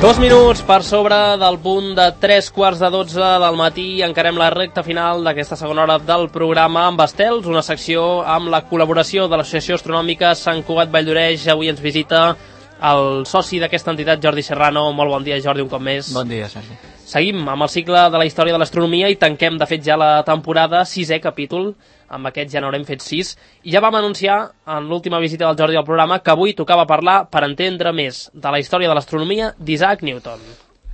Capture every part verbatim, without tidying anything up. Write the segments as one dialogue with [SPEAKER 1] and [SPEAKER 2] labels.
[SPEAKER 1] Dos minuts per sobre del punt de tres quarts de dotze del matí. Encarem la recta final d'aquesta segona hora del programa amb Estels, una secció amb la col·laboració de l'Associació Astronòmica Sant Cugat Valldoreix. Avui ens visita el soci d'aquesta entitat, Jordi Serrano. Molt bon dia, Jordi, un cop més.
[SPEAKER 2] Bon dia, Sergi.
[SPEAKER 1] Seguim amb el cicle de la història de l'astronomia i tanquem, de fet, ja la temporada, sisè capítol. Amb aquest ja n'haurem fet sis. I ja vam anunciar en l'última visita del Jordi al programa que avui tocava parlar, per entendre més de la història de l'astronomia, d'Isaac Newton.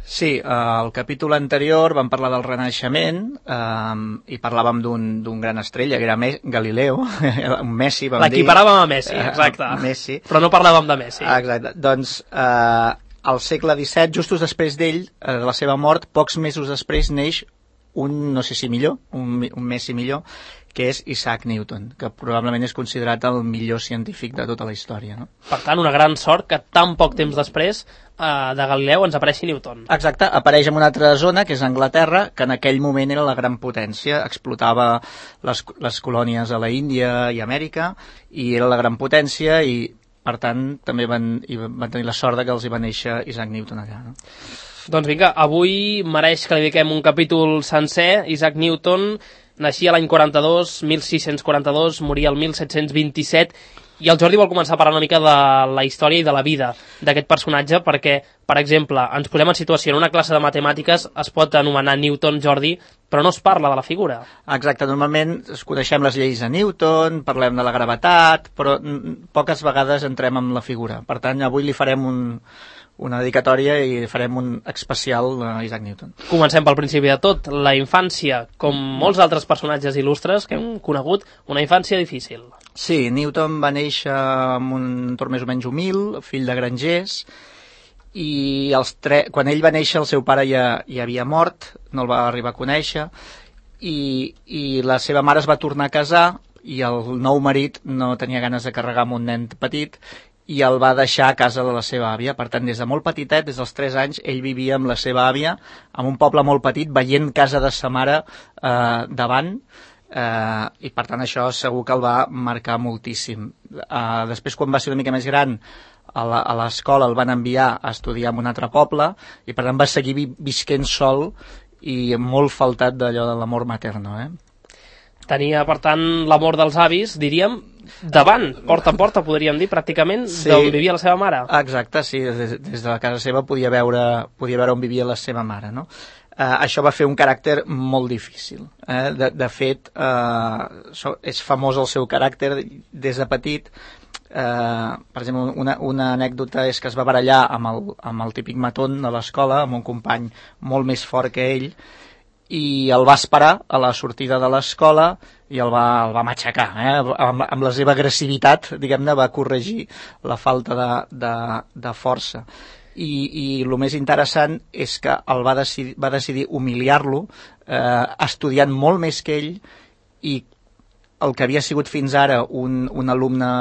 [SPEAKER 2] Sí, al capítol anterior vam parlar del Renaixement eh, i parlàvem d'un gran estrella, que era Galileu, un Messi, vam dir.
[SPEAKER 1] L'equiparàvem a Messi, exacte.
[SPEAKER 2] Uh, Messi.
[SPEAKER 1] Però no parlàvem de Messi.
[SPEAKER 2] Exacte. Doncs eh, al segle disset, just després d'ell, eh, de la seva mort, pocs mesos després neix un, no sé si millor, un, un Messi millor, que és Isaac Newton, que probablement és considerat el millor científic de tota la història, no?
[SPEAKER 1] Per tant, una gran sort que tan poc temps després eh, de Galileu ens apareixi Newton.
[SPEAKER 2] Exacte, apareix en una altra zona, que és Anglaterra, que en aquell moment era la gran potència, explotava les, les colònies a la Índia i Amèrica, i era la gran potència, i per tant també van, i van tenir la sort que els hi va néixer Isaac Newton allà, no?
[SPEAKER 1] Doncs vinga, avui mereix que li dediquem un capítol sencer. Isaac Newton naixia l'any quaranta-dos, mil sis-cents quaranta-dos, moria el mil set-cents vint-i-set, i el Jordi vol començar a parlar una mica de la història i de la vida d'aquest personatge, perquè, per exemple, ens posem en situació en una classe de matemàtiques, es pot anomenar Newton, Jordi, però no es parla de la figura.
[SPEAKER 2] Exacte, normalment es coneixem les lleis de Newton, parlem de la gravetat, però poques vegades entrem en la figura. Per tant, avui li farem un... una dedicatòria i farem un especial a Isaac Newton.
[SPEAKER 1] Comencem pel principi de tot. La infància, com molts altres personatges il·lustres que hem conegut, una infància difícil.
[SPEAKER 2] Sí, Newton va néixer en un entorn més o menys humil, fill de grangers, i els tre... quan ell va néixer el seu pare ja, ja havia mort, no el va arribar a conèixer, i, i la seva mare es va tornar a casar i el nou marit no tenia ganes de carregar amb un nen petit i el va deixar a casa de la seva àvia. Per tant, des de molt petitet, des dels tres anys, ell vivia amb la seva àvia, en un poble molt petit, veient casa de sa mare eh, davant, eh, i per tant això segur que el va marcar moltíssim. Eh, després, quan va ser una mica més gran, a l'escola el van enviar a estudiar en un altre poble, i per tant va seguir vi visquent sol i molt faltat d'allò de l'amor materno, eh?
[SPEAKER 1] Tenia, per tant, l'amor dels avis, diríem, davant, porta en porta, podríem dir, pràcticament,
[SPEAKER 2] sí,
[SPEAKER 1] d'on vivia la seva mare.
[SPEAKER 2] Exacte, sí, des, des de la casa seva podia veure, podia veure on vivia la seva mare, no? Eh, això va fer un caràcter molt difícil. Eh? De, de fet, eh, és famós el seu caràcter des de petit. Eh, per exemple, una, una anècdota és que es va barallar amb el, amb el típic matón de l'escola, amb un company molt més fort que ell, i el va esperar a la sortida de l'escola i el va, el va matxacar, eh? amb, amb la seva agressivitat, diguem-ne, va corregir la falta de, de, de força. I, i el més interessant és que el va decidir, va decidir humiliar-lo, eh, estudiant molt més que ell, i el que havia sigut fins ara un, un alumne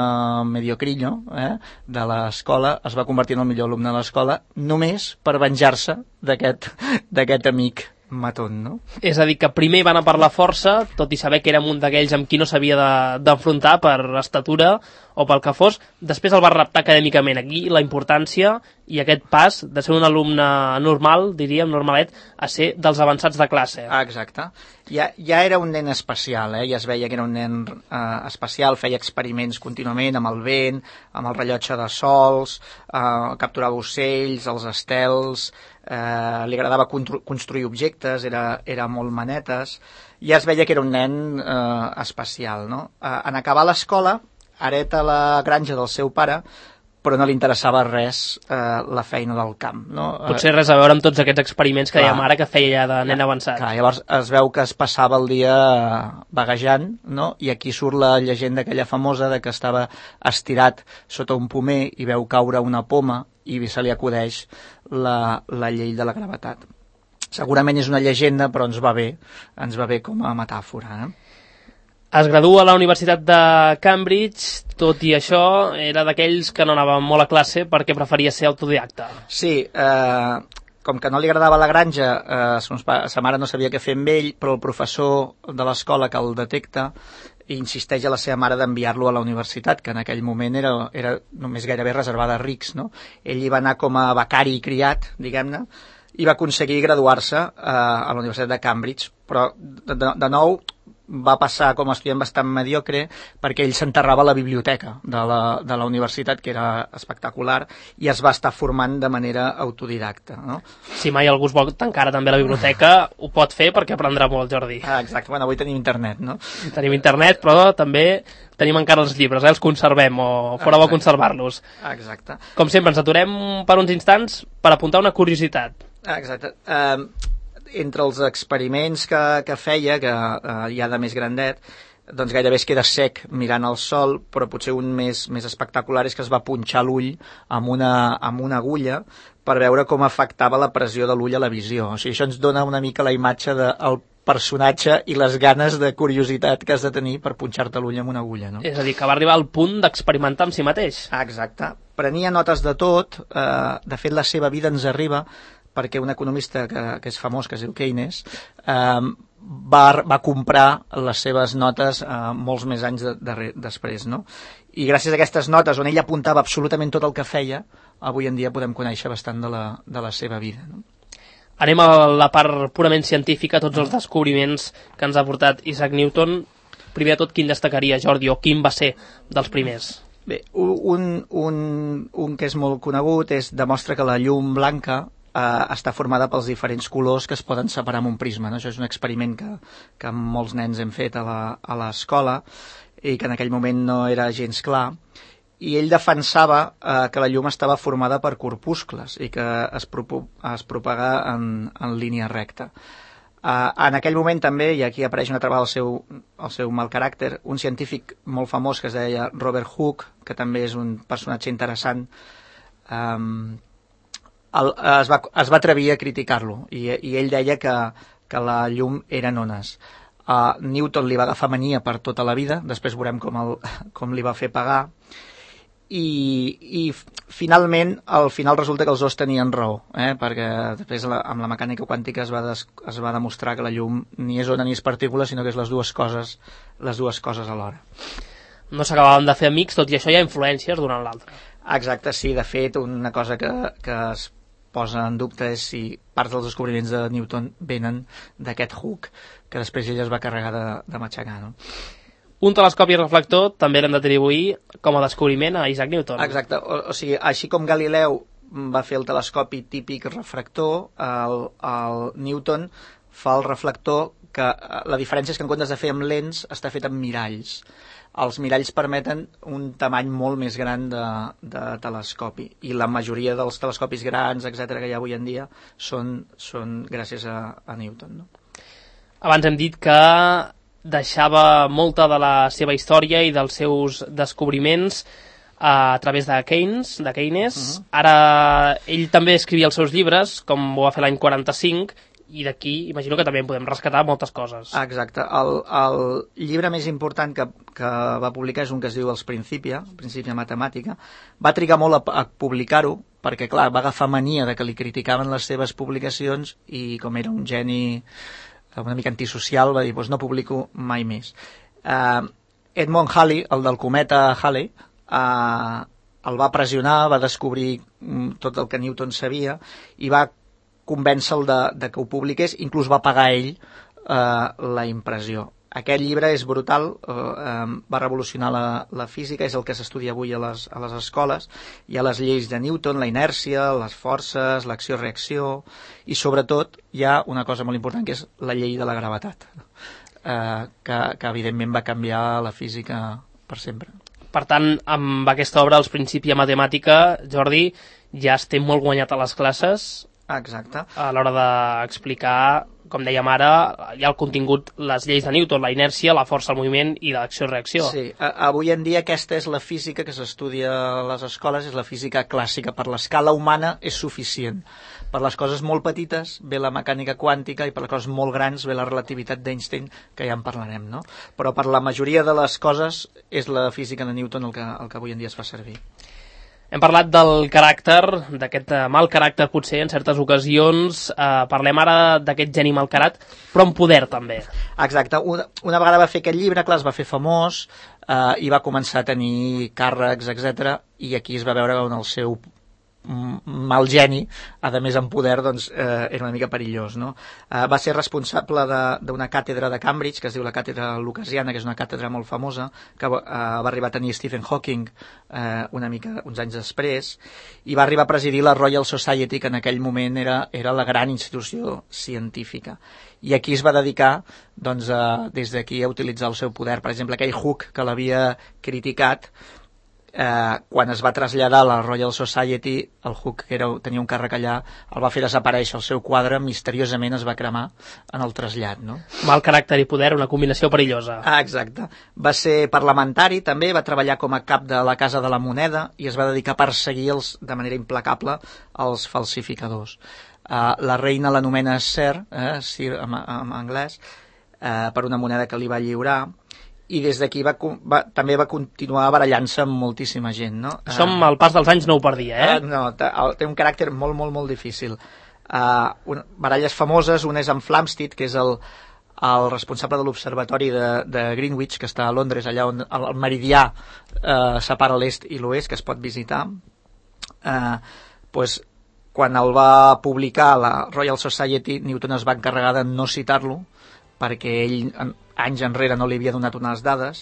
[SPEAKER 2] mediocrillo eh, de l'escola es va convertir en el millor alumne de l'escola només per venjar-se d'aquest amic matón, no?
[SPEAKER 1] És a dir, que primer van a per la força, tot i saber que érem un d'aquells amb qui no s'havia d'enfrontar de, per estatura o pel que fos, després el va reptar acadèmicament. Aquí la importància i aquest pas de ser un alumne normal, diríem, normalet, a ser dels avançats de classe.
[SPEAKER 2] Ah, exacte. Ja, ja era un nen especial, eh? Ja es veia que era un nen eh, especial, feia experiments contínuament amb el vent, amb el rellotge de sols, eh, capturava ocells, els estels, eh, li agradava construir objectes, era, era molt manetes, ja es veia que era un nen eh, especial, no? Eh, en acabar l'escola, hereta la granja del seu pare, però no li interessava res eh, la feina del camp, no?
[SPEAKER 1] Potser res a veure amb tots aquests experiments que dèiem ara que feia ja de nen avançat.
[SPEAKER 2] Clar, llavors es veu que es passava el dia vaguejant, no? I aquí surt la llegenda aquella famosa de que estava estirat sota un pomer i veu caure una poma i se li acudeix la, la llei de la gravetat. Segurament és una llegenda, però ens va bé, ens va bé com a metàfora, eh?
[SPEAKER 1] Es gradua a la Universitat de Cambridge, tot i això era d'aquells que no anava molt a classe perquè preferia ser autodidacta.
[SPEAKER 2] Sí, eh, com que no li agradava la granja, eh, sa mare no sabia què fer amb ell, però el professor de l'escola que el detecta insisteix a la seva mare d'enviar-lo a la universitat, que en aquell moment era, era només gairebé reservada a rics, no? Ell hi va anar com a becari i criat, diguem-ne, i va aconseguir graduar-se eh, a la Universitat de Cambridge, però de, de, de nou va passar com a estudiant bastant mediocre perquè ell s'enterrava a la biblioteca de la, de la universitat, que era espectacular, i es va estar formant de manera autodidacta, no?
[SPEAKER 1] Si mai algú es vol tancar també a la biblioteca, ho pot fer perquè aprendrà molt, Jordi.
[SPEAKER 2] Ah, exacte, bueno, avui tenim internet, no?
[SPEAKER 1] Tenim internet, però també tenim encara els llibres, eh? Els conservem, o fora bo conservar-los.
[SPEAKER 2] Exacte.
[SPEAKER 1] Com sempre, ens aturem per uns instants per apuntar una curiositat.
[SPEAKER 2] Exacte. Uh, entre els experiments que, que feia, que uh, ja de més grandet, doncs gairebé es queda sec mirant el sol, però potser un més, més espectacular és que es va punxar l'ull amb una, amb una agulla per veure com afectava la pressió de l'ull a la visió. O sigui, això ens dona una mica la imatge del personatge i les ganes de curiositat que has de tenir per punxar-te l'ull amb una agulla, no?
[SPEAKER 1] És a dir, que va arribar al punt d'experimentar amb si mateix.
[SPEAKER 2] Ah, exacte. Prenia notes de tot, eh, de fet la seva vida ens arriba perquè un economista que, que és famós, que es diu Keynes, eh, va, va comprar les seves notes eh, molts més anys de, de, després, no? I gràcies a aquestes notes, on ell apuntava absolutament tot el que feia, avui en dia podem conèixer bastant de la, de la seva vida, no?
[SPEAKER 1] Anem a la part purament científica, tots els descobriments que ens ha portat Isaac Newton. Primer de tot, quin destacaria, Jordi, o quin va ser dels primers?
[SPEAKER 2] Bé, un, un, un que és molt conegut és demostra que la llum blanca eh, està formada pels diferents colors que es poden separar amb un prisma, no? Això és un experiment que, que molts nens hem fet a l'escola i que en aquell moment no era gens clar. I ell defensava eh, que la llum estava formada per corpuscles i que es, propo es propaga en, en línia recta. Eh, en aquell moment també, i aquí apareix una altra vegada el seu, el seu mal caràcter, un científic molt famós que es deia Robert Hooke, que també és un personatge interessant, eh, el, es, va, es va atrevir a criticar-lo i, i ell deia que, que la llum eren ones. Uh, Newton li va agafar mania per tota la vida, després veurem com, el, com li va fer pagar, i, i finalment al final resulta que els dos tenien raó, eh? Perquè després la, amb la mecànica quàntica es va, des, es va demostrar que la llum ni és ona ni és partícula, sinó que és les dues coses, les dues coses alhora.
[SPEAKER 1] No s'acabaven de fer amics, tot i això hi ha influències d'una a l'altra.
[SPEAKER 2] Exacte, sí, de fet una cosa que, que es posa en dubte és si parts dels descobriments de Newton venen d'aquest Hooke, que després ell es va carregar de, de matxacar, no?
[SPEAKER 1] Un telescopi reflector també l'hem d'atribuir com a descobriment a Isaac Newton.
[SPEAKER 2] Exacte, o, o sigui, així com Galileu va fer el telescopi típic refractor, el, el Newton fa el reflector que la diferència és que en comptes de fer amb lents està fet amb miralls. Els miralls permeten un tamany molt més gran de, de telescopi i la majoria dels telescopis grans, etcètera, que hi ha avui en dia són, són gràcies a, a Newton, no?
[SPEAKER 1] Abans hem dit que deixava molta de la seva història i dels seus descobriments a través de Keynes, de Keynes. Uh-huh. Ara ell també escrivia els seus llibres, com ho va fer l'any quaranta-cinc, i d'aquí imagino que també en podem rescatar moltes coses.
[SPEAKER 2] Exacte. El, el llibre més important que, que va publicar és un que es diu Els Principia, Principia Matemàtica. Va trigar molt a, a publicar-ho, perquè clar, va agafar mania de que li criticaven les seves publicacions i com era un geni una mica antisocial, va dir, doncs no publico mai més. Uh, Edmond Halley, el del cometa Halley, uh, el va pressionar, va descobrir um, tot el que Newton sabia i va convèncer-lo de, de que ho publiqués, inclús va pagar ell uh, la impressió. Aquest llibre és brutal, uh, um, va revolucionar la, la física, és el que s'estudia avui a les, a les escoles. Hi ha les lleis de Newton, la inèrcia, les forces, l'acció-reacció, i sobretot hi ha una cosa molt important que és la llei de la gravetat, uh, que, que evidentment va canviar la física per sempre.
[SPEAKER 1] Per tant, amb aquesta obra, Els Principia Matemàtica, Jordi, ja estem molt guanyat a les classes.
[SPEAKER 2] Exacte.
[SPEAKER 1] A l'hora d'explicar, com dèiem ara, hi ha el contingut, les lleis de Newton, la inèrcia, la força del moviment i l'acció-reacció.
[SPEAKER 2] Sí, avui en dia aquesta és la física que s'estudia a les escoles, és la física clàssica. Per l'escala humana és suficient. Per les coses molt petites ve la mecànica quàntica i per les coses molt grans ve la relativitat d'Einstein, que ja en parlarem, no? Però per la majoria de les coses és la física de Newton el que, el que avui en dia es fa servir.
[SPEAKER 1] Hem parlat del caràcter, d'aquest mal caràcter potser en certes ocasions, eh, parlem ara d'aquest geni malcarat, però amb poder també.
[SPEAKER 2] Exacte, una, una vegada va fer aquest llibre, clar, es va fer famós eh, i va començar a tenir càrrecs, etcètera, i aquí es va veure on el seu mal geni, a més amb poder, doncs eh, era una mica perillós, no? Eh, va ser responsable d'una càtedra de Cambridge, que es diu la càtedra lucasiana, que és una càtedra molt famosa, que eh, va arribar a tenir Stephen Hawking eh, una mica, uns anys després, i va arribar a presidir la Royal Society, que en aquell moment era, era la gran institució científica. I aquí es va dedicar, doncs, a, des d'aquí a utilitzar el seu poder. Per exemple, aquell Hooke que l'havia criticat, Eh, quan es va traslladar a la Royal Society, el Hooke, que era, tenia un càrrec allà, el va fer desaparèixer, el seu quadre misteriosament es va cremar en el trasllat, no?
[SPEAKER 1] Mal caràcter i poder, una combinació perillosa.
[SPEAKER 2] Ah, exacte. Va ser parlamentari també, va treballar com a cap de la Casa de la Moneda i es va dedicar a perseguir els, de manera implacable els falsificadors. Eh, la reina l'anomena Sir, eh, Sir en, en anglès, eh, per una moneda que li va lliurar, i des d'aquí va, va, també va continuar barallant-se amb moltíssima gent, no?
[SPEAKER 1] Això amb el pas dels anys no ho perdia, eh?
[SPEAKER 2] Uh, no, té un caràcter molt, molt, molt difícil. Uh, un, baralles famoses, una és amb Flamsteed, que és el, el responsable de l'observatori de, de Greenwich, que està a Londres, allà on el, el meridià uh, separa l'est i l'oest, que es pot visitar. Uh, pues, quan el va publicar la Royal Society, Newton es va encarregar de no citar-lo, perquè ell anys enrere no li havia donat unes dades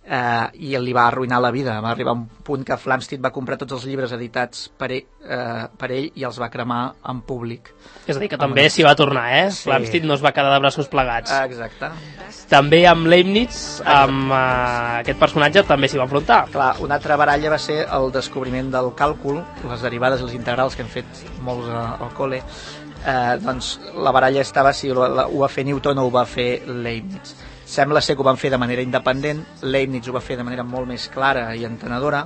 [SPEAKER 2] eh, i li va arruïnar la vida. Va arribar a un punt que Flamsteed va comprar tots els llibres editats per ell, eh, per ell i els va cremar en públic.
[SPEAKER 1] És a dir, que també s'hi va tornar, eh? Sí. Flamsteed no es va quedar de braços plegats.
[SPEAKER 2] Exacte.
[SPEAKER 1] També amb Leibniz, amb eh, aquest personatge, també s'hi va enfrontar.
[SPEAKER 2] Clar, una altra baralla va ser el descobriment del càlcul, les derivades i les integrals que hem fet molts al col·le. Eh, doncs la baralla estava si ho va fer Newton o ho va fer Leibniz. Sembla ser que ho van fer de manera independent, Leibniz ho va fer de manera molt més clara i entenedora,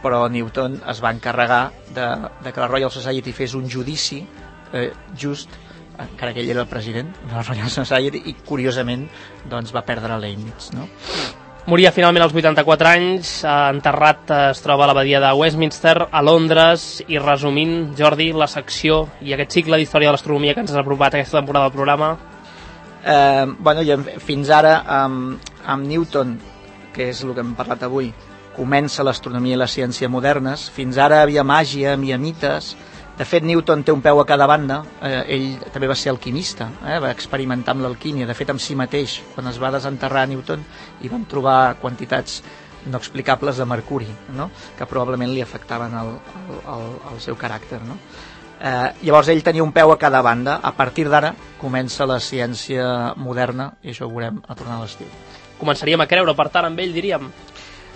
[SPEAKER 2] però Newton es va encarregar de, de que la Royal Society fes un judici eh, just, encara que ell era el president de la Royal Society, i curiosament doncs, va perdre Leibniz, no?
[SPEAKER 1] Moria finalment als vuitanta-quatre anys, enterrat es troba a l'abadia de Westminster, a Londres, i resumint, Jordi, la secció i aquest cicle d'història de l'astronomia que ens has apropat aquesta temporada del programa.
[SPEAKER 2] Eh, bueno, i fins ara amb, amb Newton, que és el que hem parlat avui, comença l'astronomia i la ciència modernes. Fins ara havia màgia, havia mites. De fet, Newton té un peu a cada banda. Eh, ell també va ser alquimista, eh, va experimentar amb l'alquímia. De fet, amb si mateix, quan es va desenterrar Newton, hi van trobar quantitats no explicables de mercuri, no? Que probablement li afectaven el, el, el, el seu caràcter, no? Eh, llavors ell tenia un peu a cada banda. A partir d'ara comença la ciència moderna i això ho veurem a tornar a l'estiu.
[SPEAKER 1] Començaríem a creure, per tant, amb ell, diríem?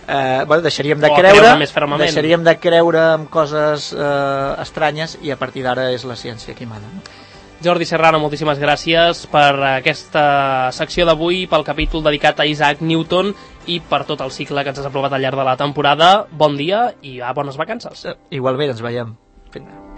[SPEAKER 2] Eh, bueno, deixaríem de
[SPEAKER 1] o
[SPEAKER 2] creure,
[SPEAKER 1] creure
[SPEAKER 2] deixaríem de creure en coses eh, estranyes i a partir d'ara és la ciència qui mana, no?
[SPEAKER 1] Jordi Serrano, moltíssimes gràcies per aquesta secció d'avui, pel capítol dedicat a Isaac Newton i per tot el cicle que ens has aprovat al llarg de la temporada. Bon dia i a bones vacances.
[SPEAKER 2] Eh, igualment, ens veiem. Fins.